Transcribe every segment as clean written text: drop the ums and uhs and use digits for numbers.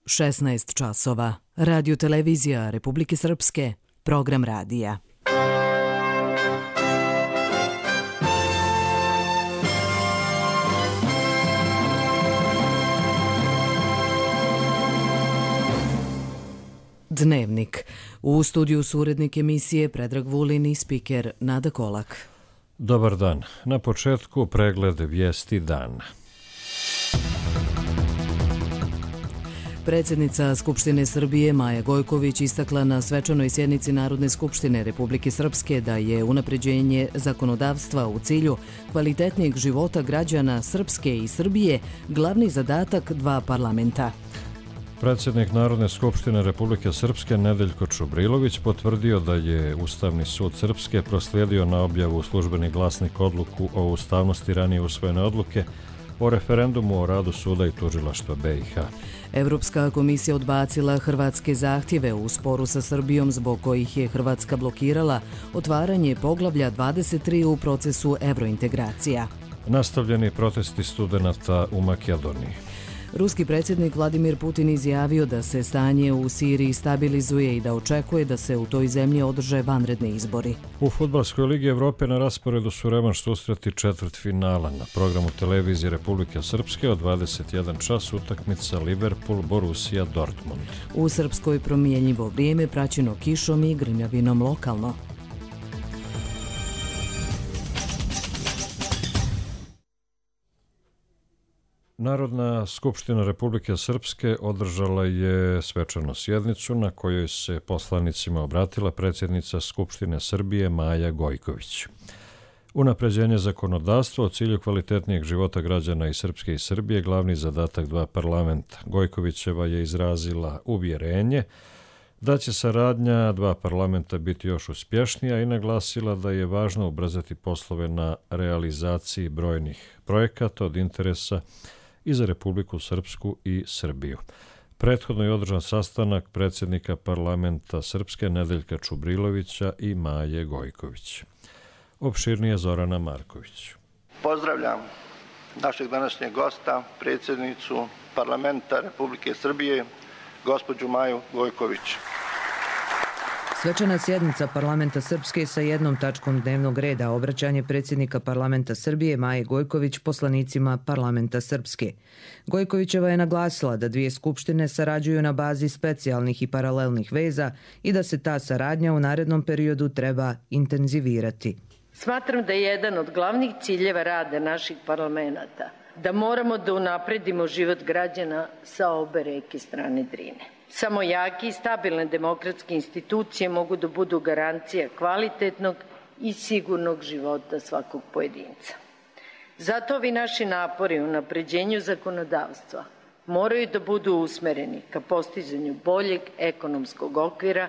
16 časova. Radio televizija Republike Srpske. Program radija. Dnevnik. U studiju su urednik emisije Predrag Vulin i spiker Nada Kolak. Dobar dan. Na početku pregled vijesti dana. Predsjednica Skupštine Srbije Maja Gojković istakla na svečanoj sjednici Narodne skupštine Republike Srpske da je unapređenje zakonodavstva u cilju kvalitetnijeg života građana Srpske i Srbije glavni zadatak dva parlamenta. Predsjednik Narodne skupštine Republike Srpske Nedeljko Čubrilović potvrdio da je Ustavni sud Srpske proslijedio na objavu u Službeni glasnik odluku o ustavnosti ranije usvojene odluke o referendumu o radu suda i tužilaštva BiH. Evropska komisija odbacila hrvatske zahtjeve u sporu sa Srbijom zbog kojih je Hrvatska blokirala otvaranje poglavlja 23 u procesu evrointegracija. Nastavljeni protesti studenata u Makedoniji. Ruski predsjednik Vladimir Putin izjavio da se stanje u Siriji stabilizuje i da očekuje da se u toj zemlji održe vanredni izbori. U Fudbalskoj ligi Evrope na rasporedu su revanš susreti četvrtfinala. Na programu televizije Republike Srpske od 21 čas utakmica Liverpool-Borussia-Dortmund. U Srpskoj promjenjivo vrijeme praćeno kišom i grmljavinom lokalno. Narodna skupština Republike Srpske održala je svečanu sjednicu na kojoj se poslanicima obratila predsjednica Skupštine Srbije Maja Gojković. Unapređenje zakonodavstva u cilju kvalitetnijeg života građana i Srpske i Srbije glavni zadatak dva parlamenta. Gojkovićeva je izrazila uvjerenje da će saradnja dva parlamenta biti još uspješnija i naglasila da je važno ubrzati poslove na realizaciji brojnih projekata od interesa i za Republiku Srpsku i Srbiju. Prethodno je održan sastanak predsjednika parlamenta Srpske Nedeljka Čubrilovića i Maje Gojković. Opširnije Zorana Marković. Pozdravljam našeg današnjeg gosta, predsjednicu parlamenta Republike Srbije, gospođu Maju Gojković. Svečana sjednica parlamenta Srpske sa jednom tačkom dnevnog reda, obraćanje predsjednika parlamenta Srbije Maje Gojković poslanicima parlamenta Srpske. Gojkovićeva je naglasila da dvije skupštine sarađuju na bazi specijalnih i paralelnih veza i da se ta saradnja u narednom periodu treba intenzivirati. Smatram da je jedan od glavnih ciljeva rada naših parlamenta da moramo da unapredimo život građana sa obe reke strane Drine. Samo jake i stabilne demokratske institucije mogu da budu garancija kvalitetnog i sigurnog života svakog pojedinca. Zato ovi naši napori u unapređenju zakonodavstva moraju da budu usmereni ka postizanju boljeg ekonomskog okvira,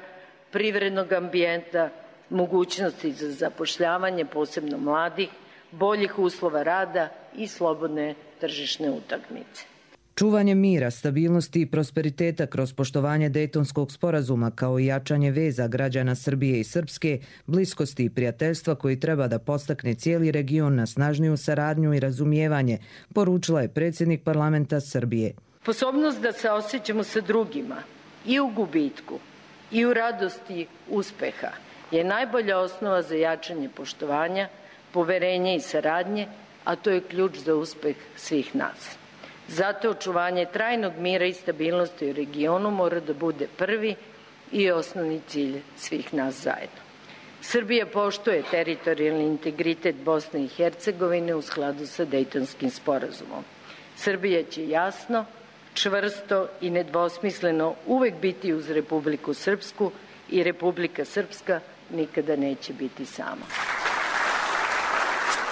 privrednog ambijenta, mogućnosti za zapošljavanje posebno mladih, boljih uslova rada i slobodne tržišne utakmice. Čuvanje mira, stabilnosti i prosperiteta kroz poštovanje Dejtonskog sporazuma kao i jačanje veza građana Srbije i Srpske, bliskosti i prijateljstva koji treba da postakne cijeli region na snažniju saradnju i razumijevanje, poručila je predsjednik parlamenta Srbije. Sposobnost da se osjećamo sa drugima i u gubitku i u radosti uspeha je najbolja osnova za jačanje poštovanja, poverenja i saradnje, a to je ključ za uspeh svih nas. Zato očuvanje trajnog mira i stabilnosti u regionu mora da bude prvi i osnovni cilj svih nas zajedno. Srbija poštuje teritorijalni integritet Bosne i Hercegovine u skladu sa Dejtonskim sporazumom. Srbija će jasno, čvrsto i nedvosmisleno uvek biti uz Republiku Srpsku i Republika Srpska nikada neće biti sama.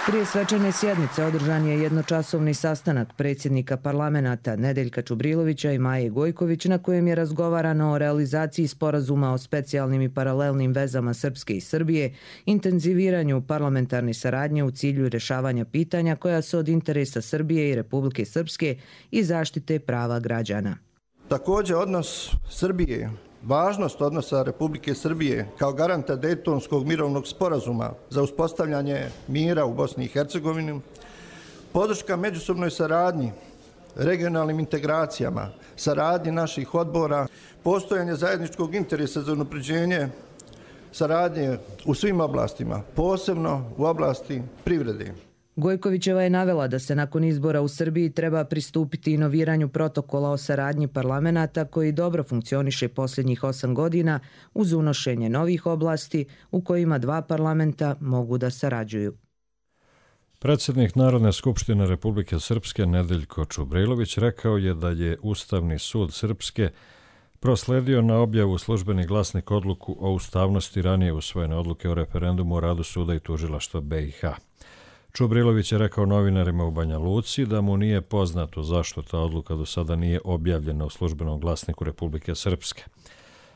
Prije svečane sjednice održan je jednočasovni sastanak predsjednika parlamenta Nedeljka Čubrilovića i Maje Gojković na kojem je razgovarano o realizaciji sporazuma o specijalnim i paralelnim vezama Srpske i Srbije, intenziviranju parlamentarne saradnje u cilju rješavanja pitanja koja su od interesa Srbije i Republike Srpske i zaštite prava građana. Također odnos Srbije, važnost odnosa Republike Srbije kao garanta Dejtonskog mirovnog sporazuma za uspostavljanje mira u Bosni i Hercegovini, podrška međusobnoj saradnji regionalnim integracijama, saradnji naših odbora, postojanje zajedničkog interesa za unapređenje saradnje u svim oblastima, posebno u oblasti privrede. Gojkovićeva je navela da se nakon izbora u Srbiji treba pristupiti inoviranju protokola o saradnji parlamenata koji dobro funkcioniše posljednjih 8 godina uz unošenje novih oblasti u kojima dva parlamenta mogu da sarađuju. Predsjednik Narodne skupštine Republike Srpske Nedeljko Čubrilović rekao je da je Ustavni sud Srpske prosledio na objavu Službeni glasnik odluku o ustavnosti ranije usvojene odluke o referendumu o radu suda i tužilaštva BiH. Čubrilović je rekao novinarima u Banja Luci da mu nije poznato zašto ta odluka do sada nije objavljena u Službenom glasniku Republike Srpske.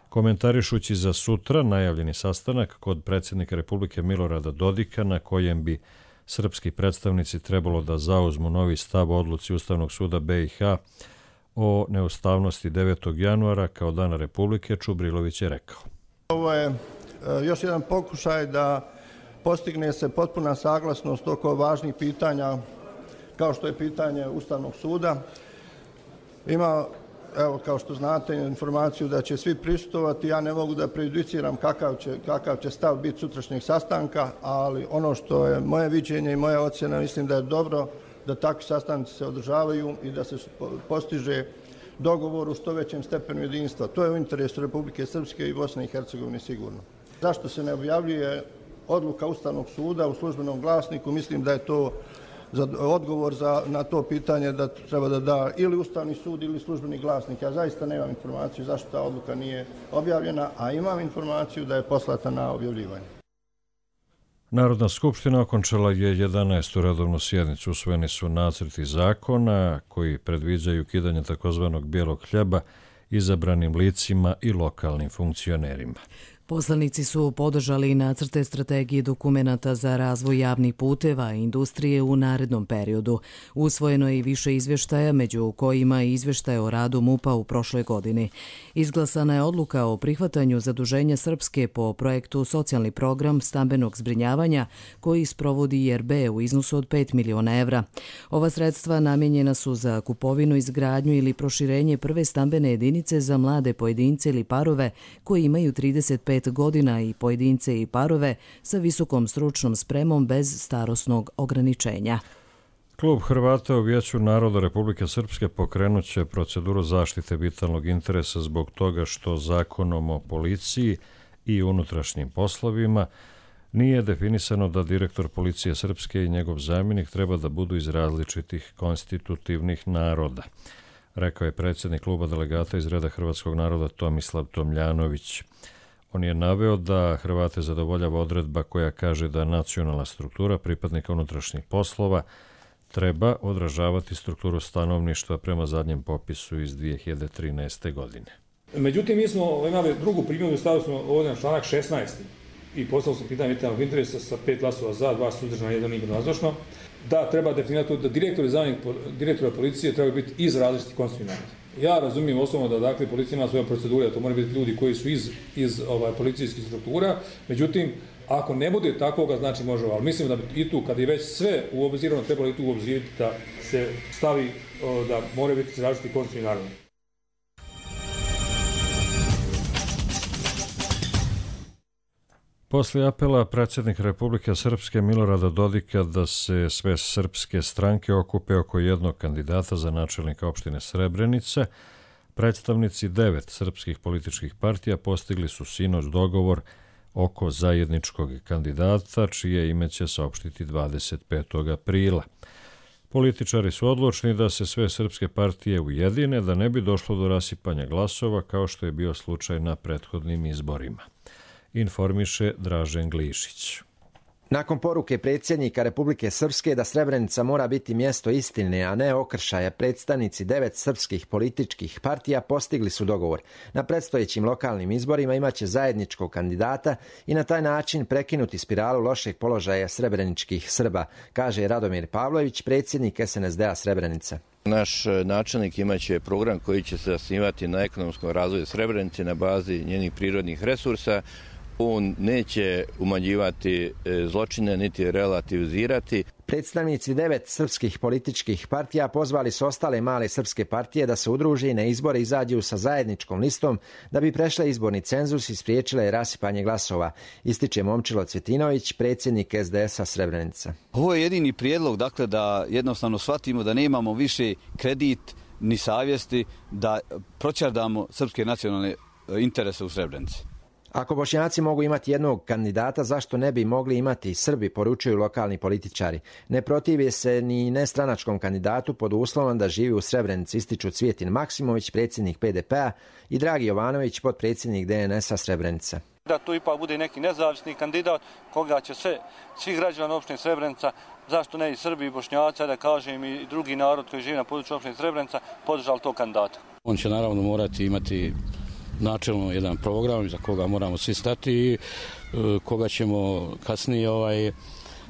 Komentarišući za sutra najavljeni sastanak kod predsjednika Republike Milorada Dodika na kojem bi srpski predstavnici trebalo da zauzmu novi stav o odluci Ustavnog suda BiH o neustavnosti 9. januara kao dana Republike, Čubrilović je rekao. Ovo je još jedan pokušaj da postigne se potpuna saglasnost oko važnih pitanja kao što je pitanje Ustavnog suda. Ima, evo kao što znate, informaciju da će svi prisustvovati. Ja ne mogu da prejudiciram kakav će stav biti sutrašnjeg sastanka, ali ono što je moje viđenje i moja ocjena, mislim da je dobro da takvi sastanci se održavaju i da se postiže dogovor u što većem stepenu jedinstva. To je u interesu Republike Srpske i Bosne i Hercegovine sigurno. Zašto se ne objavljuje odluka Ustavnog suda u Službenom glasniku? Mislim da je to odgovor na to pitanje da treba da da ili Ustavni sud ili Službeni glasnik. Ja zaista nemam informaciju zašto ta odluka nije objavljena, a imam informaciju da je poslata na objavljivanje. Narodna skupština okončala je 11. redovnu sjednicu. Usvojeni su nacrti zakona koji predviđaju ukidanje takozvanog bijelog hljeba izabranim licima i lokalnim funkcionerima. Poslanici su podržali nacrte strategije dokumenata za razvoj javnih puteva i industrije u narednom periodu. Usvojeno je i više izvještaja, među kojima i izvještaj o radu MUP-a u prošloj godini. Izglasana je odluka o prihvatanju zaduženja Srpske po projektu Socijalni program stambenog zbrinjavanja koji sprovodi IRB u iznosu od 5 miliona evra. Ova sredstva namijenjena su za kupovinu, izgradnju ili proširenje prve stambene jedinice za mlade pojedince ili parove koji imaju 35 godina i pojedince i parove sa visokom stručnom spremom bez starosnog ograničenja. Klub Hrvata u Vijeću naroda Republike Srpske pokrenut će proceduru zaštite vitalnog interesa zbog toga što zakonom o policiji i unutrašnjim poslovima nije definisano da direktor policije Srpske i njegov zamjenik treba da budu iz različitih konstitutivnih naroda, rekao je predsjednik kluba delegata iz reda hrvatskog naroda Tomislav Tomljanović. On je naveo da Hrvate zadovoljava odredba koja kaže da nacionalna struktura pripadnika unutrašnjih poslova treba odražavati strukturu stanovništva prema zadnjem popisu iz 2013. godine. Međutim, mi smo imali drugu primjedbu, stavili smo ovdje na članak 16. i poslali smo pitanje vitalnog interesa sa 5 glasova za, 2 suzdržana, 1 nazočno, da treba definirati da direktor i zamjenik direktora policije treba biti iz različitih konstitutivnih naroda. Ja razumijem osnovno da dakle policija ima svoje procedure, da to moraju biti ljudi koji su iz policijskih struktura, međutim, ako ne bude takvoga, znači može, ali mislim da bi i tu, kad je već sve uobzirano, trebalo i tu uobzirati da se stavi da moraju biti iz različitih konstitutivnih naroda. Poslije apela predsjednik Republike Srpske Milorada Dodika da se sve srpske stranke okupe oko jednog kandidata za načelnika opštine Srebrenica, predstavnici 9 srpskih političkih partija postigli su sinoć dogovor oko zajedničkog kandidata, čije ime će saopštiti 25. aprila. Političari su odlučni da se sve srpske partije ujedine, da ne bi došlo do rasipanja glasova kao što je bio slučaj na prethodnim izborima, informiše Dražen Glišić. Nakon poruke predsjednika Republike Srpske da Srebrenica mora biti mjesto istine, a ne okršaja, predstavnici 9 srpskih političkih partija postigli su dogovor. Na predstojećim lokalnim izborima imaće zajedničkog kandidata i na taj način prekinuti spiralu lošeg položaja srebreničkih Srba, kaže Radomir Pavlović, predsjednik SNSD-a Srebrenica. Naš načelnik imaće program koji će se zasnivati na ekonomskom razvoju Srebrenice na bazi njenih prirodnih resursa, On neće umanjivati zločine niti relativizirati. Predstavnici 9 srpskih političkih partija pozvali su ostale male srpske partije da se udruže i na izbore izađu sa zajedničkom listom da bi prešle izborni cenzus i spriječile rasipanje glasova, ističe Momčilo Cvjetinović, predsjednik SDS-a Srebrenica. Ovo je jedini prijedlog, dakle, da jednostavno shvatimo da nemamo više kredit ni savjesti da proćardamo srpske nacionalne interese u Srebrenici. Ako Bošnjaci mogu imati jednog kandidata, zašto ne bi mogli imati i Srbi, poručuju lokalni političari. Ne protive se ni nestranačkom kandidatu pod uslovom da živi u Srebrenici, ističu Cvijetin Maksimović, predsjednik PDP-a, i Dragi Jovanović, potpredsjednik DNS-a Srebrenica. Da to ipak bude neki nezavisni kandidat koga će svi građani opštine Srebrenica, zašto ne i Srbi i Bošnjaci, da kažem i drugi narod koji živi na području opštine Srebrenica, podržali tog kandidata. On će naravno morati imati načelno jedan program za koga moramo svi stati i koga ćemo kasnije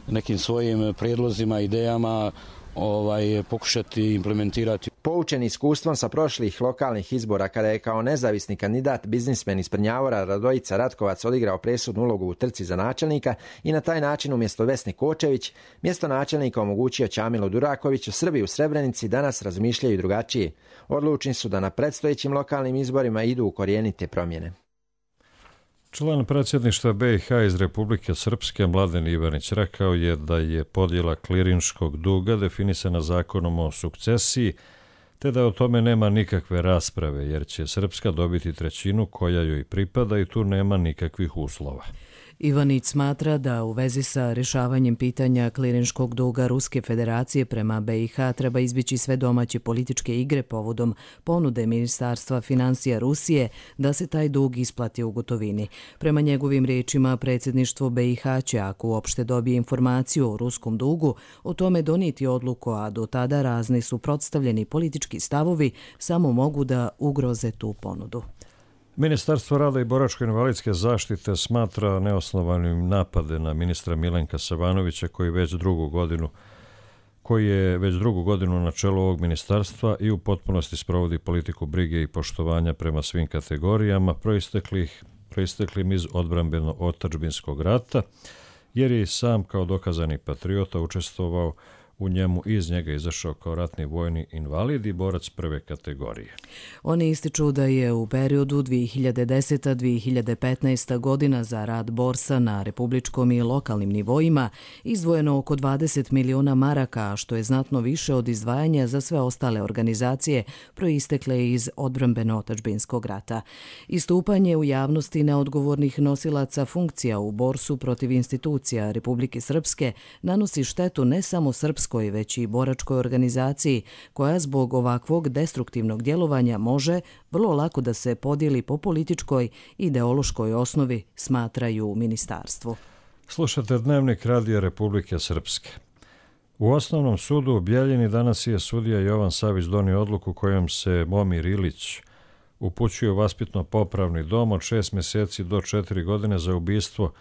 nekim svojim prijedlozima, idejama pokušati implementirati. Poučen iskustvom sa prošlih lokalnih izbora, kada je kao nezavisni kandidat biznismen iz Prnjavora Radojica Ratkovac odigrao presudnu ulogu u trci za načelnika i na taj način umjesto Vesni Kočević mjesto načelnika omogućio Ćamilu Durakoviću, Srbi u Srebrenici danas razmišljaju drugačije. Odlučni su da na predstojećim lokalnim izborima idu u korijenite promjene. Član predsjedništva BiH iz Republike Srpske Mladen Ivanić rekao je da je podjela klirinškog duga definisana zakonom o sukcesiji, te da o tome nema nikakve rasprave, jer će Srpska dobiti trećinu koja joj pripada i tu nema nikakvih uslova. Ivanić smatra da u vezi sa rješavanjem pitanja klirinškog duga Ruske federacije prema BiH treba izbjeći sve domaće političke igre povodom ponude Ministarstva financija Rusije da se taj dug isplati u gotovini. Prema njegovim riječima, predsjedništvo BiH će, ako uopšte dobije informaciju o ruskom dugu, o tome donijeti odluku, a do tada razni suprotstavljeni politički stavovi samo mogu da ugroze tu ponudu. Ministarstvo rada i boračko-invalidske zaštite smatra neosnovanim napade na ministra Milenka Savanovića koji je već drugu godinu na čelu ovog ministarstva i u potpunosti sprovodi politiku brige i poštovanja prema svim kategorijama proisteklim iz odbrambeno-otadžbinskog rata, jer je i sam kao dokazani patriota učestvovao u njemu i iz njega izašao kao ratni vojni invalid i borac prve kategorije. Oni ističu da je u periodu 2010-2015 godina za rad borsa na republičkom i lokalnim nivoima izdvojeno oko 20 miliona maraka, što je znatno više od izdvajanja za sve ostale organizacije proistekle iz odbrambeno-otadžbinskog rata. Istupanje u javnosti neodgovornih nosilaca funkcija u borsu protiv institucija Republike Srpske nanosi štetu ne samo srpskoj, već i boračkoj organizaciji, koja zbog ovakvog destruktivnog djelovanja može vrlo lako da se podijeli po političkoj i ideološkoj osnovi, smatraju u ministarstvu. Slušate Dnevnik Radija Republike Srpske. U Osnovnom sudu u Bjeljini danas je sudija Jovan Savić donio odluku kojom se Momir Ilić upućuje u vaspitno-popravni dom od 6 mjeseci do 4 godine za ubistvo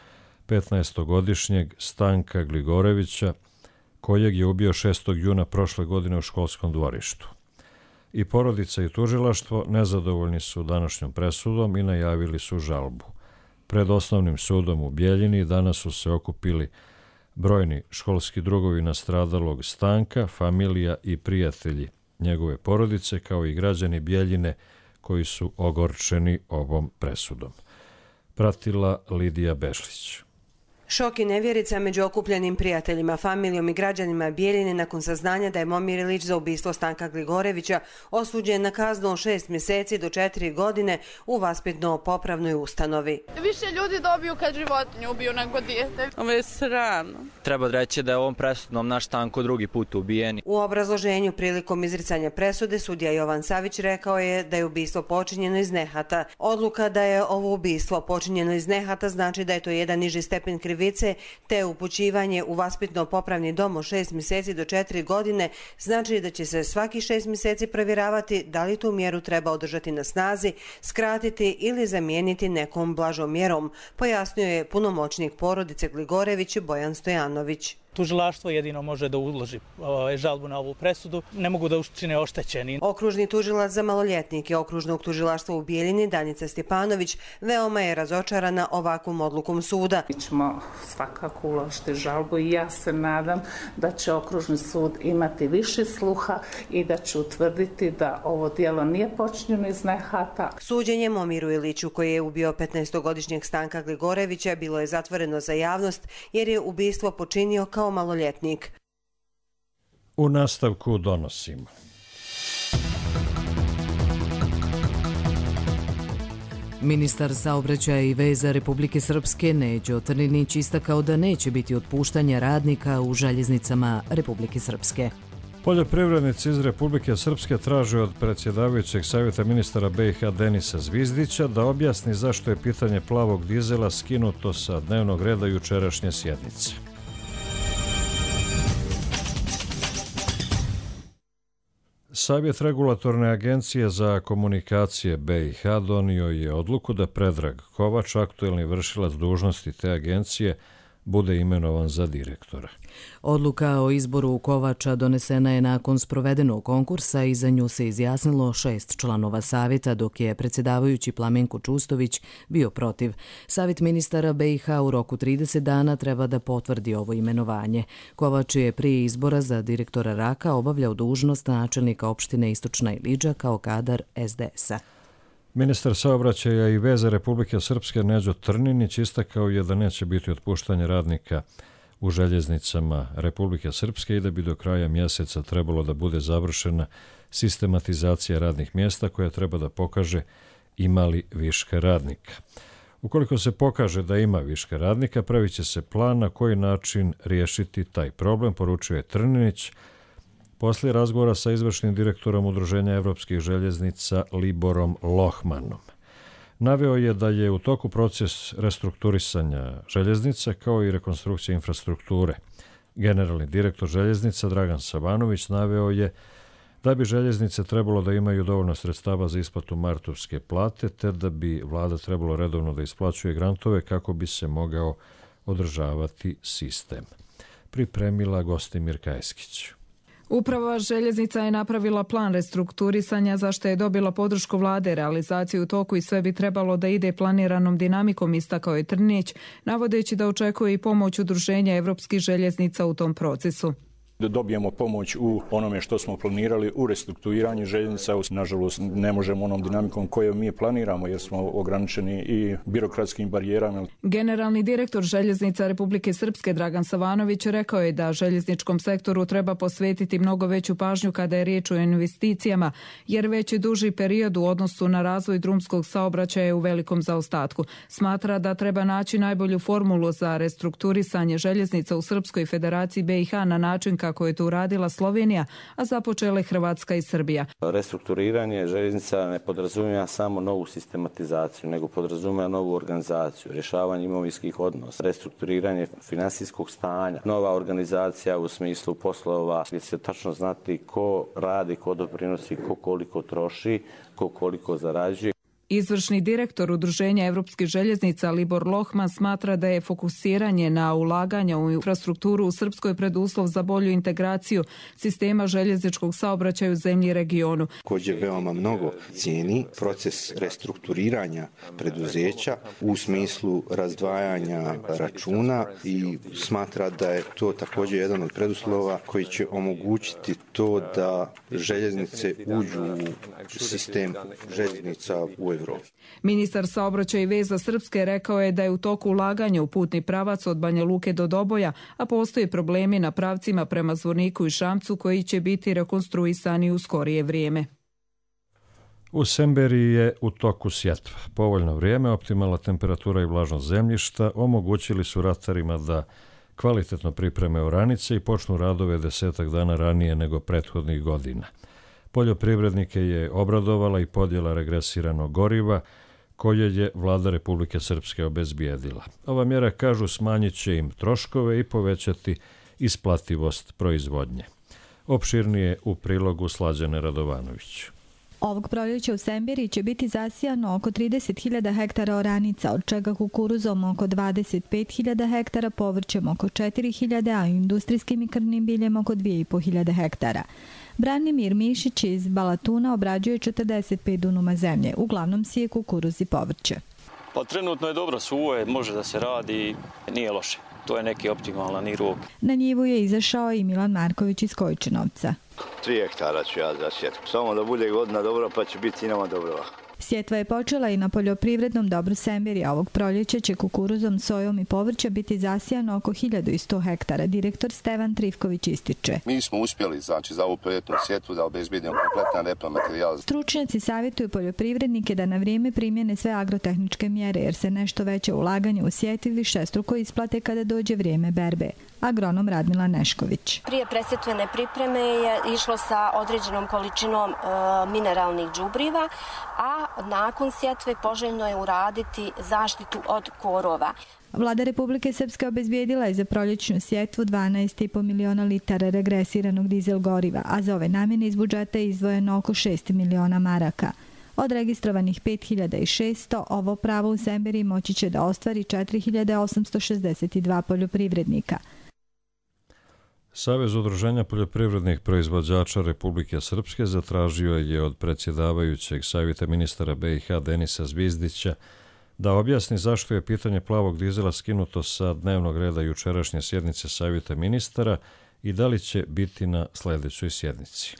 15-godišnjeg Stanka Gligorevića, kojeg je ubio 6. juna prošle godine u školskom dvorištu. I porodica i tužilaštvo nezadovoljni su današnjom presudom i najavili su žalbu. Pred Osnovnim sudom u Bjeljini danas su se okupili brojni školski drugovi nastradalog Stanka, familija i prijatelji njegove porodice, kao i građani Bjeljine koji su ogorčeni ovom presudom. Pratila Lidija Bešlić. Šok i nevjerica među okupljenim prijateljima, familijom i građanima Bjeljine nakon saznanja da je Momir Ilić za ubistvo Stanka Gligorevića osuđen na kaznu od 6 mjeseci do 4 godine u vaspitno-popravnoj ustanovi. Više ljudi dobiju kad životinju ubiju nego dijete. Ovo je sramno. Treba reći da je ovom presudom naš Stanko drugi put ubijen. U obrazloženju prilikom izricanja presude sudija Jovan Savić rekao je da je ubistvo počinjeno iz nehata. Odluka da je ovo ubistvo počinjeno iz nehata znači da je to jedan niži stepen krivice, te upućivanje u vaspitno-popravni dom od 6 mjeseci do 4 godine znači da će se svaki 6 mjeseci provjeravati da li tu mjeru treba održati na snazi, skratiti ili zamijeniti nekom blažom mjerom, pojasnio je punomoćnik porodice Gligorević Bojan Stojanović. Tužilaštvo jedino može da uloži žalbu na ovu presudu, ne mogu da učine oštećeni. Okružni tužilac za maloljetnike Okružnog tužilaštva u Bijeljini, Danica Stjepanović, veoma je razočarana ovakvom odlukom suda. Mi ćemo svakako uložiti žalbu i ja se nadam da će Okružni sud imati više sluha i da će utvrditi da ovo djelo nije počinjeno iz nehata. Suđenje Momiru Iliću, koji je ubio 15-godišnjeg Stanka Gligorevića, bilo je zatvoreno za javnost jer je ubistvo počinio kao maloljetnik. U nastavku donosimo. Ministar saobraćaja i veza Republike Srpske Neđo Trninić istakao da neće biti otpuštanja radnika u željeznicama Republike Srpske. Poljoprivrednici iz Republike Srpske traže od predsjedavajućeg savjeta ministara BiH Denisa Zvizdića da objasni zašto je pitanje plavog dizela skinuto sa dnevnog reda jučerašnje sjednice. Savjet regulatorne agencije za komunikacije BiH donio je odluku da Predrag Kovač, aktuelni vršilac dužnosti te agencije, bude imenovan za direktora. Odluka o izboru Kovača donesena je nakon sprovedenog konkursa i za nju se izjasnilo 6 članova savjeta, dok je predsjedavajući Plamenko Čustović bio protiv. Savjet ministara BiH u roku 30 dana treba da potvrdi ovo imenovanje. Kovač je prije izbora za direktora RAK-a obavljao dužnost načelnika opštine Istočna Ilidža kao kadar SDS-a. Ministar saobraćaja i veza Republike Srpske Neđo Trninić istakao je da neće biti otpuštanje radnika u željeznicama Republike Srpske i da bi do kraja mjeseca trebalo da bude završena sistematizacija radnih mjesta koja treba da pokaže ima li viška radnika. Ukoliko se pokaže da ima viška radnika, pravit će se plan na koji način riješiti taj problem, poručuje Trninić, poslije razgovora sa izvršnim direktorom Udruženja evropskih željeznica Liborom Lohmanom. Naveo je da je u toku proces restrukturisanja željeznica kao i rekonstrukcije infrastrukture. Generalni direktor željeznica Dragan Savanović naveo je da bi željeznice trebalo da imaju dovoljno sredstava za isplatu martovske plate, te da bi vlada trebalo redovno da isplaćuje grantove kako bi se mogao održavati sistem. Pripremila Gostimir Kajskić. Uprava željeznica je napravila plan restrukturisanja za što je dobila podršku vlade, realizaciju u toku i sve bi trebalo da ide planiranom dinamikom, istakao je Trninić, navodeći da očekuje i pomoć Udruženja evropskih željeznica u tom procesu. Da dobijemo pomoć u onome što smo planirali u restrukturiranju željeznica. Nažalost, ne možemo onom dinamikom koju mi planiramo jer smo ograničeni i birokratskim barijerama. Generalni direktor željeznica Republike Srpske Dragan Savanović rekao je da željezničkom sektoru treba posvetiti mnogo veću pažnju kada je riječ o investicijama, jer već je duži period u odnosu na razvoj drumskog saobraćaja u velikom zaostatku. Smatra da treba naći najbolju formulu za restrukturisanje željeznica u Srpskoj federaciji BiH na način kako je to uradila Slovenija, a započele Hrvatska i Srbija. Restrukturiranje željeznica ne podrazumijeva samo novu sistematizaciju, nego podrazumijeva novu organizaciju, rješavanje imovinskih odnosa, restrukturiranje finansijskog stanja, nova organizacija u smislu poslova gdje se tačno znati ko radi, ko doprinosi, ko koliko troši, ko koliko zarađuje. Izvršni direktor Udruženja evropskih željeznica Libor Lohman smatra da je fokusiranje na ulaganja u infrastrukturu u Srpskoj preduslov za bolju integraciju sistema željezničkog saobraćaja u zemlji i regionu. Također veoma mnogo cijeni proces restrukturiranja preduzeća u smislu razdvajanja računa i smatra da je to također jedan od preduslova koji će omogućiti to da željeznice uđu u sistem željeznica u Evropi. Ministar saobraćaja i veza Srpske rekao je da je u toku ulaganja u putni pravac od Banja Luke do Doboja, a postoje problemi na pravcima prema Zvorniku i Šamcu koji će biti rekonstruisani u skorije vrijeme. U Semberiji je u toku sjetva. Povoljno vrijeme, optimalna temperatura i vlažnost zemljišta omogućili su ratarima da kvalitetno pripreme oranice i počnu radove 10 dana ranije nego prethodnih godina. Poljoprivrednike je obradovala i podjela regresiranog goriva koje je vlada Republike Srpske obezbijedila. Ova mjera, kažu, smanjit će im troškove i povećati isplativost proizvodnje. Opširnije u prilogu Slađane Radovanović. Ovog proljeća u Semberiji će biti zasijano oko 30.000 hektara oranica, od čega kukuruzom oko 25.000 hektara, povrćem oko 4.000, a industrijskim i krvnim biljem oko 2.500 hektara. Branimir Mišić iz Balatuna obrađuje 45 dunuma zemlje, uglavnom sije kukuruz i povrće. Pa trenutno je dobro, suvo je, može da se radi, nije loše. To je neki optimalan rok. Na njivu je izašao i Milan Marković iz Kojčinovca. 3 hektara ću ja zasjeti. Samo da bude godina dobra, pa će biti i nama dobro. Sjetva je počela i na poljoprivrednom dobru Semberija. Ovog proljeća će kukuruzom, sojom i povrća biti zasijano oko 1100 hektara. Direktor Stevan Trifković ističe. Mi smo uspjeli, za ovu proljetnu sjetvu da obezbedimo kompletan repromaterijal. Stručnjaci savjetuju poljoprivrednike da na vrijeme primjene sve agrotehničke mjere, jer se nešto veće ulaganje u sjetvi višestruko isplate kada dođe vrijeme berbe. Agronom Radmila Nešković. Prije presjetvene pripreme je išlo sa određenom količinom mineralnih đubriva, a nakon sjetve poželjno je uraditi zaštitu od korova. Vlada Republike Srpske obezbijedila je za proljećnu sjetvu 12,5 miliona litara regresiranog dizel goriva, a za ove namjene iz budžeta je izdvojeno oko 6 miliona maraka. Od registrovanih 5600, ovo pravo u Semberiji moći će da ostvari 4862 poljoprivrednika. Savez udruženja poljoprivrednih proizvođača Republike Srpske zatražio je od predsjedavajućeg savjeta ministara BiH Denisa Zvizdića da objasni zašto je pitanje plavog dizela skinuto sa dnevnog reda jučerašnje sjednice savjeta ministara i da li će biti na sljedećoj sjednici.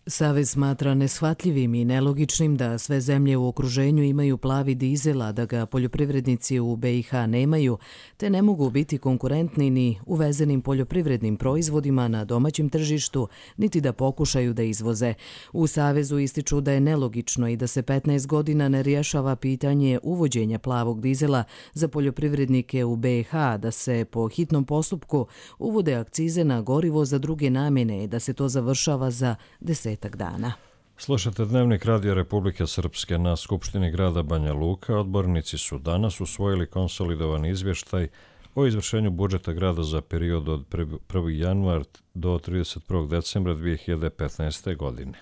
Savez smatra neshvatljivim i nelogičnim da sve zemlje u okruženju imaju plavi dizel, a da ga poljoprivrednici u BiH nemaju, te ne mogu biti konkurentni ni uvezenim poljoprivrednim proizvodima na domaćem tržištu, niti da pokušaju da izvoze. U Savezu ističu da je nelogično i da se 15 godina ne rješava pitanje uvođenja plavog dizela za poljoprivrednike u BiH, da se po hitnom postupku uvode akcize na gorivo za druge namjene i da se to završava za 10 dana. Slušate Dnevnik Radija Republike Srpske. Na Skupštini grada Banja Luka odbornici su danas usvojili konsolidovan izvještaj o izvršenju budžeta grada za period od 1. januar do 31. decembra 2015. godine.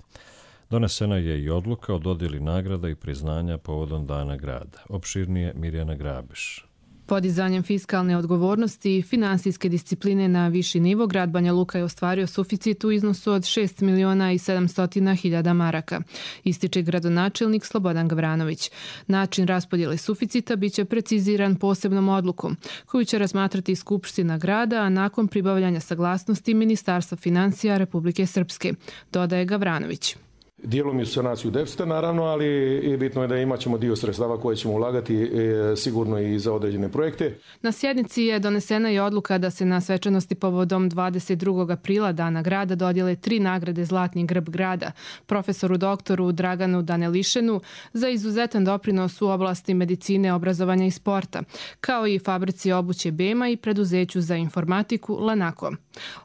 Donesena je i odluka o dodjeli nagrada i priznanja povodom Dana grada. Opširnije Mirjana Grabiš. Podizanjem fiskalne odgovornosti i finansijske discipline na viši nivo, grad Banja Luka je ostvario suficit u iznosu od 6.700.000 maraka, ističe gradonačelnik Slobodan Gavranović. Način raspodjele suficita biće preciziran posebnom odlukom, koju će razmatrati Skupština grada, a nakon pribavljanja saglasnosti Ministarstva financija Republike Srpske, dodaje Gavranović. Dijelom i sanaciju deficita, naravno, ali i bitno je da imat ćemo dio sredstava koje ćemo ulagati sigurno i za određene projekte. Na sjednici je donesena i odluka da se na svečanosti povodom 22. aprila Dana grada dodjele 3 nagrade Zlatni grb grada, profesoru doktoru Draganu Danelišenu za izuzetan doprinos u oblasti medicine, obrazovanja i sporta, kao i fabrici obuće Bema i preduzeću za informatiku Lanako.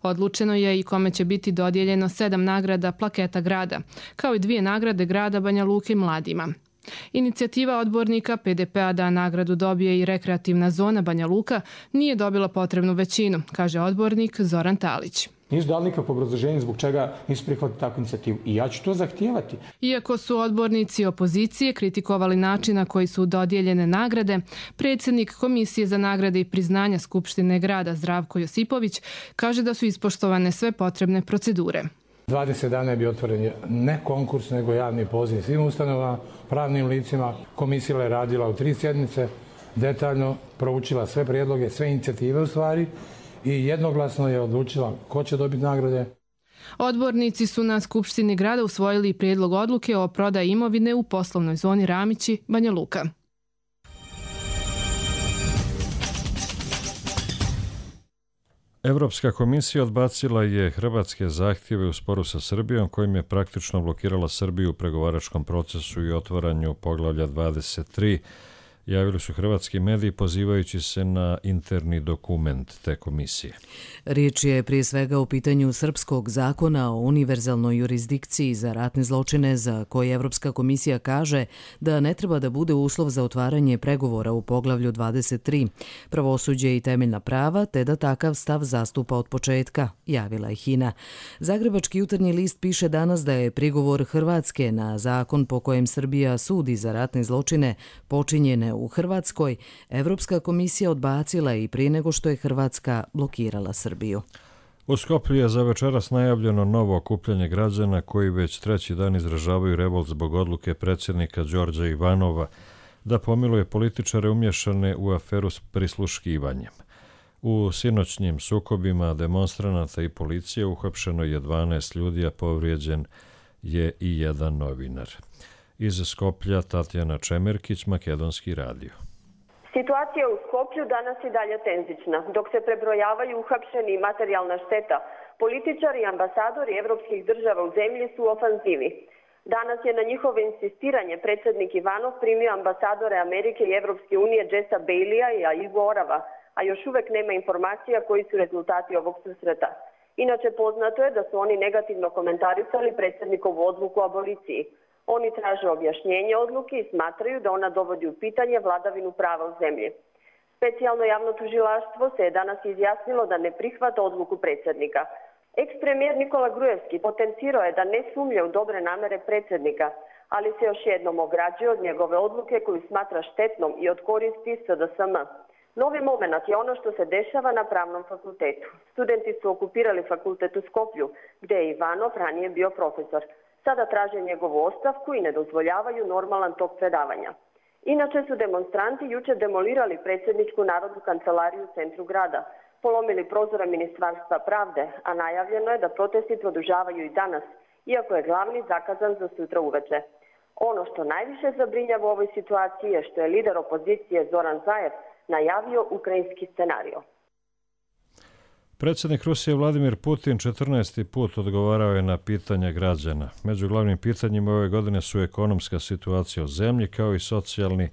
Odlučeno je i kome će biti dodijeljeno 7 nagrada Plaketa grada, kao i 2 nagrade grada Banja Luke mladima. Inicijativa odbornika PDP-a da nagradu dobije i rekreativna zona Banja Luka nije dobila potrebnu većinu, kaže odbornik Zoran Talić. Nisu dali nikakvo obrazloženje zbog čega nisu prihvatili takvu inicijativu i ja ću to zahtijevati. Iako su odbornici opozicije kritikovali način na koji su dodijeljene nagrade, predsjednik Komisije za nagrade i priznanja Skupštine grada Zdravko Josipović kaže da su ispoštovane sve potrebne procedure. 20 dana je bio otvoren ne konkurs, nego javni poziv svim ustanovama, pravnim licima. Komisija je radila u 3 sjednice, detaljno proučila sve prijedloge, sve inicijative u stvari i jednoglasno je odlučila ko će dobiti nagrade. Odbornici su na Skupštini grada usvojili prijedlog odluke o prodaji imovine u poslovnoj zoni Ramići, Banja Luka. Evropska komisija odbacila je hrvatske zahtjeve u sporu sa Srbijom, kojim je praktično blokirala Srbiju u pregovaračkom procesu i otvaranju poglavlja 23 javili su hrvatski mediji pozivajući se na interni dokument te komisije. Riječ je prije svega o pitanju srpskog zakona o univerzalnoj jurisdikciji za ratne zločine za koje Evropska komisija kaže da ne treba da bude uslov za otvaranje pregovora u poglavlju 23, pravosuđe i temeljna prava, te da takav stav zastupa od početka, javila je HINA. Zagrebački jutarnji list piše danas da je prigovor Hrvatske na zakon po kojem Srbija sudi za ratne zločine počinjene u Hrvatskoj, Evropska komisija odbacila i prije nego što je Hrvatska blokirala Srbiju. U Skoplju je za večeras najavljeno novo okupljanje građana koji već treći dan izražavaju revolt zbog odluke predsjednika Đorđa Ivanova da pomiluje političare umješane u aferu s prisluškivanjem. U sinoćnjim sukobima demonstranata i policije uhapšeno je 12 ljudi, a povrijeđen je i jedan novinar. Iz Skoplja Tatjana Čemerkić, Makedonski radio. Situacija u Skoplju danas je dalje tenzična. Dok se prebrojavaju uhapšeni i materijalna šteta, političari i ambasadori evropskih država u zemlji su u ofanzivi. Danas je na njihovo insistiranje predsjednik Ivanov primio ambasadore Amerike i Evropske unije Jessa Baileya i Igo Orava, a još uvek nema informacija koji su rezultati ovog susreta. Inače, poznato je da su oni negativno komentarisali predsjednikovu odluku o aboliciji. Oni traže objašnjenje odluke i smatraju da ona dovodi u pitanje vladavinu prava u zemlji. Specijalno javno tužilaštvo se je danas izjasnilo da ne prihvata odluku predsjednika. Eks-premijer Nikola Grujevski potencirao je da ne sumnja u dobre namere predsjednika, ali se još jednom ograđuje od njegove odluke koju smatra štetnom i od koristi SDSM. Novi moment je ono što se dešava na pravnom fakultetu. Studenti su okupirali fakultet u Skoplju, gdje je Ivanov ranije bio profesor. Sada traže njegovu ostavku i ne dozvoljavaju normalan tok predavanja. Inače su demonstranti jučer demolirali predsjedničku narodnu kancelariju u centru grada, polomili prozore Ministarstva pravde, a najavljeno je da protesti produžavaju i danas, iako je glavni zakazan za sutra uveče. Ono što najviše zabrinjava u ovoj situaciji je što je lider opozicije Zoran Zaev najavio ukrajinski scenario. Predsjednik Rusije Vladimir Putin 14. put odgovarao je na pitanja građana. Među glavnim pitanjima ove godine su ekonomska situacija u zemlji, kao i socijalni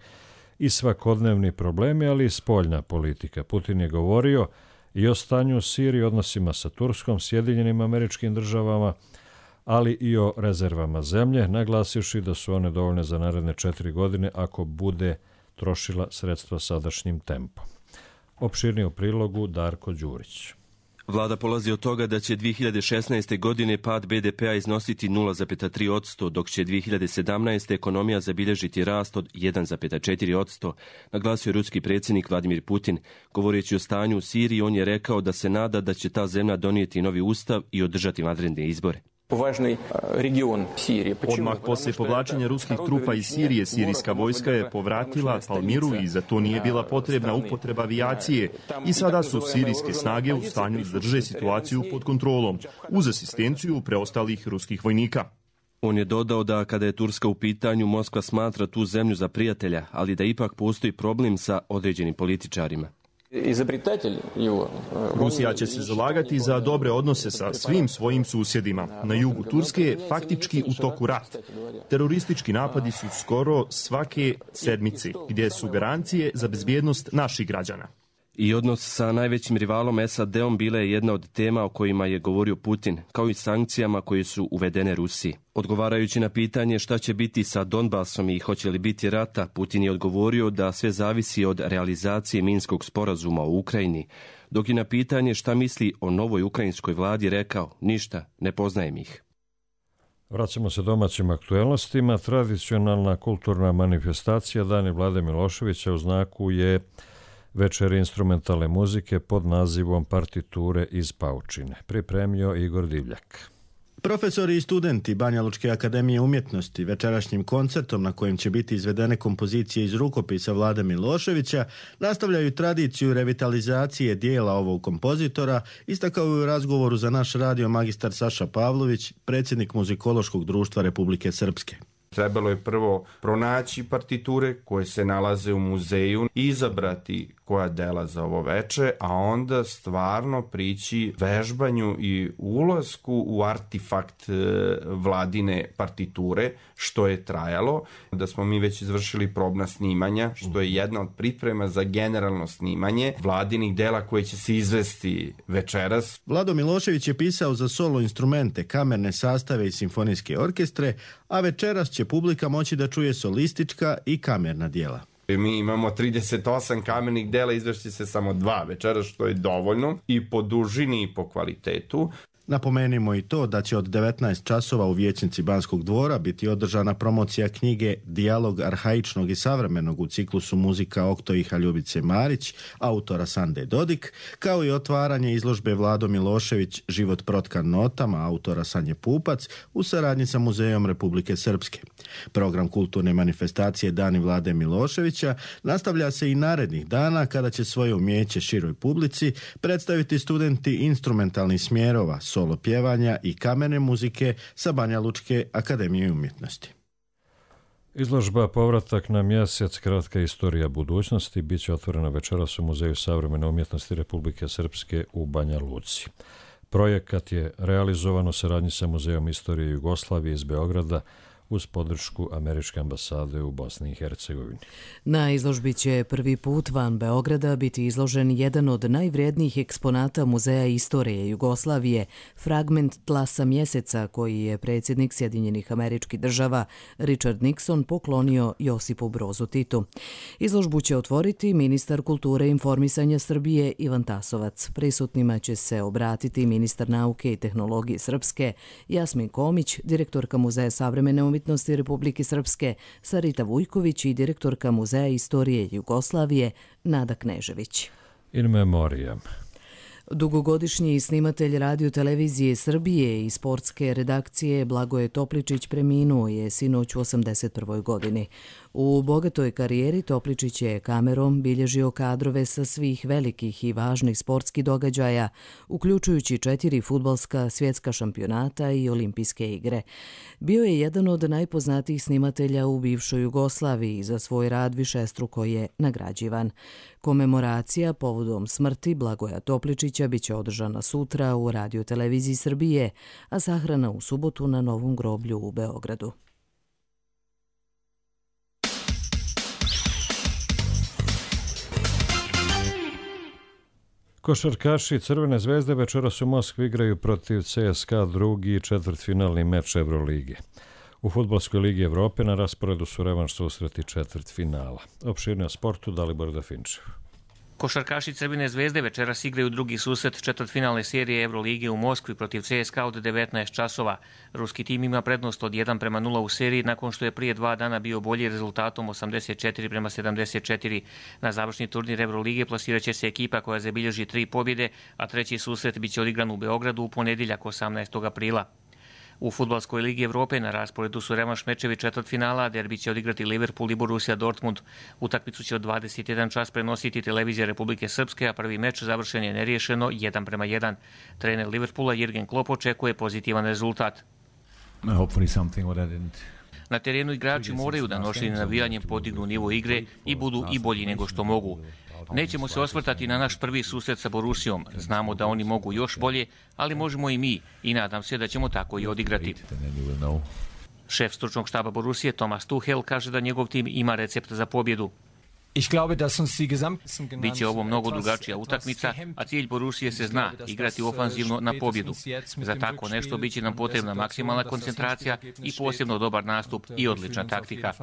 i svakodnevni problemi, ali i spoljna politika. Putin je govorio i o stanju u Siriji, odnosima sa Turskom, Sjedinjenim Američkim Državama, ali i o rezervama zemlje, naglasivši da su one dovoljne za naredne 4 godine ako bude trošila sredstva sadašnjim tempom. Opširnije u prilogu Darko Đurić. Vlada polazi od toga da će 2016. godine pad BDP-a iznositi 0,3%, dok će 2017. ekonomija zabilježiti rast od 1,4%, naglasio ruski predsjednik Vladimir Putin. Govoreći o stanju u Siriji, on je rekao da se nada da će ta zemlja donijeti novi ustav i održati vanredne izbore. Odmah poslije povlačenja ruskih trupa iz Sirije, sirijska vojska je povratila Palmiru i za to nije bila potrebna upotreba avijacije i sada su sirijske snage u stanju da drže situaciju pod kontrolom, uz asistenciju preostalih ruskih vojnika. On je dodao da kada je Turska u pitanju, Moskva smatra tu zemlju za prijatelja, ali da ipak postoji problem sa određenim političarima. Rusija će se zalagati za dobre odnose sa svim svojim susjedima. Na jugu Turske je faktički u toku rat. Teroristički napadi su skoro svake sedmice, gdje su garancije za bezbjednost naših građana. I odnos sa najvećim rivalom SAD-om bila je jedna od tema o kojima je govorio Putin, kao i sankcijama koje su uvedene Rusiji. Odgovarajući na pitanje šta će biti sa Donbasom i hoće li biti rata, Putin je odgovorio da sve zavisi od realizacije Minskog sporazuma u Ukrajini, dok je na pitanje šta misli o novoj ukrajinskoj vladi rekao, ništa, ne poznajem ih. Vraćamo se domaćim aktuelnostima. Tradicionalna kulturna manifestacija Dani Vlade Miloševića u znaku je večeri instrumentalne muzike pod nazivom Partiture iz paučine. Pripremio Igor Divljak. Profesori i studenti Banjalučke akademije umjetnosti večerašnjim koncertom na kojem će biti izvedene kompozicije iz rukopisa Vlade Miloševića nastavljaju tradiciju revitalizacije dijela ovog kompozitora, istakao je u razgovoru za naš radio magistar Saša Pavlović, predsjednik Muzikološkog društva Republike Srpske. Trebalo je prvo pronaći partiture koje se nalaze u muzeju, izabrati koja dela za ovo veče, a onda stvarno prići vežbanju i ulasku u artefakt vladine partiture, što je trajalo. Da smo mi već izvršili probna snimanja, što je jedna od priprema za generalno snimanje vladinih dela koje će se izvesti večeras. Vlado Milošević je pisao za solo instrumente, kamerne sastave i simfonijske orkestre, a večeras će publika moći da čuje solistička i kamerna dijela. Mi imamo 38 kamernih dela, izvešće se samo 2 večeras, što je dovoljno i po dužini i po kvalitetu. Napomenimo i to da će od 19 časova u vijećnici Banskog dvora biti održana promocija knjige Dijalog arhaičnog i savremenog u ciklusu muzika Oktoiha Ljubice Marić, autora Sande Dodik, kao i otvaranje izložbe Vlado Milošević Život protkan notama, autora Sanje Pupac, u saradnji sa Muzejom Republike Srpske. Program kulturne manifestacije Dani Vlade Miloševića nastavlja se i narednih dana kada će svoje umijeće široj publici predstaviti studenti instrumentalnih smjerova, solo pjevanja i kamerne muzike sa Banjalučke akademije umjetnosti. Izložba Povratak na mjesec, kratka istorija budućnosti, bit će otvorena večeras u Muzeju savremene umjetnosti Republike Srpske u Banja Luci. Projekat je realizovan u saradnji sa Muzejom istorije Jugoslavije iz Beograda uz podršku Američke ambasade u Bosni i Hercegovini. Na izložbi će prvi put van Beograda biti izložen jedan od najvrijednijih eksponata Muzeja istorije Jugoslavije, fragment tla sa mjeseca koji je predsjednik Sjedinjenih Američkih Država Richard Nixon poklonio Josipu Brozu Titu. Izložbu će otvoriti ministar kulture i informisanja Srbije Ivan Tasovac. Prisutnima će se obratiti ministar nauke i tehnologije Srpske Jasmin Komić, direktorka Muzeja savremene umjetnosti Republike Srpske Sarita Vujković i direktorka Muzeja istorije Jugoslavije Nada Knežević. In memoriam. Dugogodišnji snimatelj radio-televizije Srbije i sportske redakcije Blagoje Topličić preminuo je sinoć u 81. godini. U bogatoj karijeri Topličić je kamerom bilježio kadrove sa svih velikih i važnih sportskih događaja, uključujući 4 fudbalska svjetska šampionata i olimpijske igre. Bio je jedan od najpoznatijih snimatelja u bivšoj Jugoslaviji i za svoj rad višestruko je nagrađivan. Komemoracija povodom smrti Blagoja Topličića biće održana sutra u Radio-televiziji Srbije, a sahrana u subotu na Novom groblju u Beogradu. Košarkaši Crvene zvezde večeras u Moskvi igraju protiv CSKA drugi četvrtfinalni meč Evrolige. U Fudbalskoj ligi Evrope na rasporedu su revanš susreti četvrtfinala. Opširnije o sportu Dalibor Dafinčev. Košarkaši Crvene zvezde večeras igraju drugi susret četvrtfinalne serije Evrolige u Moskvi protiv CSKA od 19 časova. Ruski tim ima prednost od 1:0 u seriji nakon što je prije 2 dana bio bolji rezultatom 84:74. Na završni turnir Evrolige plasirat će se ekipa koja zabilježi 3 pobjede, a treći susret biće odigran u Beogradu u ponedjeljak 18. aprila. U Fudbalskoj ligi Evrope na rasporedu su revanš mečevi četvrtfinala, derbi će odigrati Liverpool i Borussia Dortmund. Utakmicu će od 21 čas prenositi televizija Republike Srpske, a prvi meč završen je neriješeno 1:1. Trener Liverpoola Jürgen Klopp očekuje pozitivan rezultat. Na terenu igrači moraju da nošenje navijanjem podignu nivo igre i budu i bolji nego što mogu. Nećemo se osvrtati na naš prvi susret sa Borussijom. Znamo da oni mogu još bolje, ali možemo i mi i nadam se da ćemo tako i odigrati. Šef stručnog štaba Borussije Thomas Tuchel kaže da njegov tim ima recept za pobjedu. Biće ovo mnogo drugačija utakmica, a cilj Borussije se zna, igrati ofanzivno na pobjedu. Za tako nešto biće nam potrebna maksimalna koncentracija i posebno dobar nastup i odlična taktika.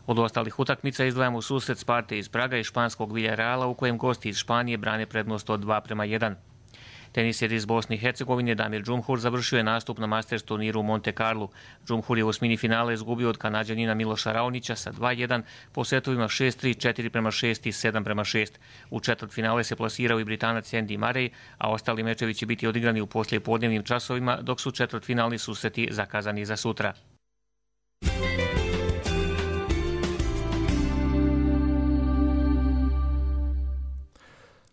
Od ostalih utakmica izdvajamo susret Sparte iz Praga i španskog Villarreala u kojem gosti iz Španije brane prednost od 2:1. Teniser iz Bosne i Hercegovine Damir Džumhur završio je nastup na Masters turniru u Monte Carlu. Džumhur je u osmini finale izgubio od Kanađanina Miloša Raonića sa 2:1 po setovima 6:3, 4:6 i 7:6. U četvrtfinale se plasirao i Britanac Andy Murray, a ostali mečevi će biti odigrani u poslijepodnevnim časovima, dok su četvrtfinalni susreti zakazani za sutra.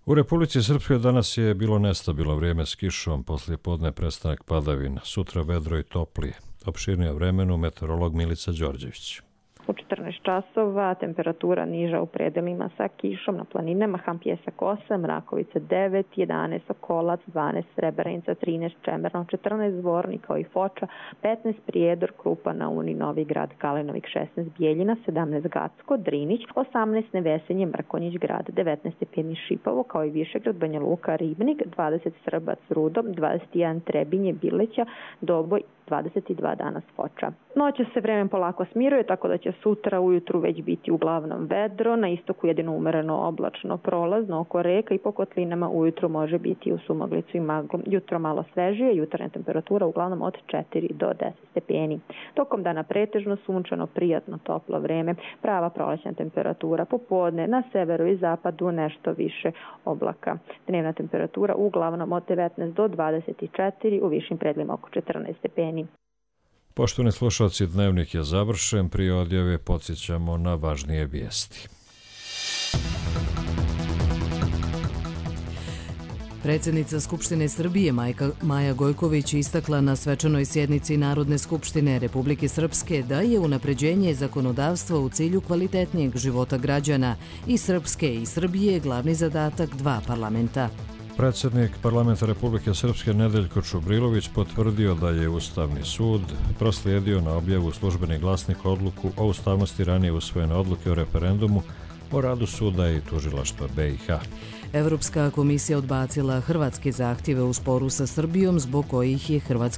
U Republici Srpskoj danas je bilo nestabilno vrijeme s kišom, poslije podne prestanak padavina, sutra vedro i toplije. Opširnije o vremenu meteorolog Milica Đorđević. U 14 časova temperatura niža u predelima sa kišom na planinama, Ham Pjesak 8, Rakovica 9, 11 Sokolac, 12 Srebrenica, 13 Čemerno, 14 Zvornik kao i Foča, 15 Prijedor, Krupa, Nauni, Novi Grad, Kalinovik, 16 Bijeljina, 17 Gacko, Drinić, 18 Nevesenje, Mrkonjić Grad, 19 Stepeni Šipovo kao i Višegrad, Banja Luka, Ribnik, 20 Srbac, Rudo, 21 Trebinje, Bileća, Doboj, 22 danas Foča. Noće se vremen polako smiruje, tako da će sutra ujutru već biti uglavnom vedro, na istoku jedino umereno oblačno prolazno oko reka i po kotlinama ujutru može biti u sumaglicu i maglu. Jutro malo svežije, jutarnja temperatura uglavnom od 4 do 10 stepeni. Tokom dana pretežno sunčano, prijatno, toplo vreme, prava prolećna temperatura, popodne na severu i zapadu nešto više oblaka. Dnevna temperatura uglavnom od 19 do 24, u višim predjelima oko 14 stepeni. Poštovani slušalci, dnevnik je završen. Prije odjave podsjećamo na važnije vijesti. Predsjednica Skupštine Srbije Maja Gojković istakla na svečanoj sjednici Narodne skupštine Republike Srpske da je unapređenje zakonodavstva u cilju kvalitetnijeg života građana i Srpske i Srbije glavni zadatak dva parlamenta. Predsjednik Parlamenta Republike Srpske Nedeljko Čubrilović potvrdio da je Ustavni sud proslijedio na objavu Službeni glasnik odluku o ustavnosti ranije usvojene odluke o referendumu o radu suda i tužilaštva BiH. Evropska komisija odbacila hrvatske zahtjeve u sporu sa Srbijom zbog kojih je Hrvatska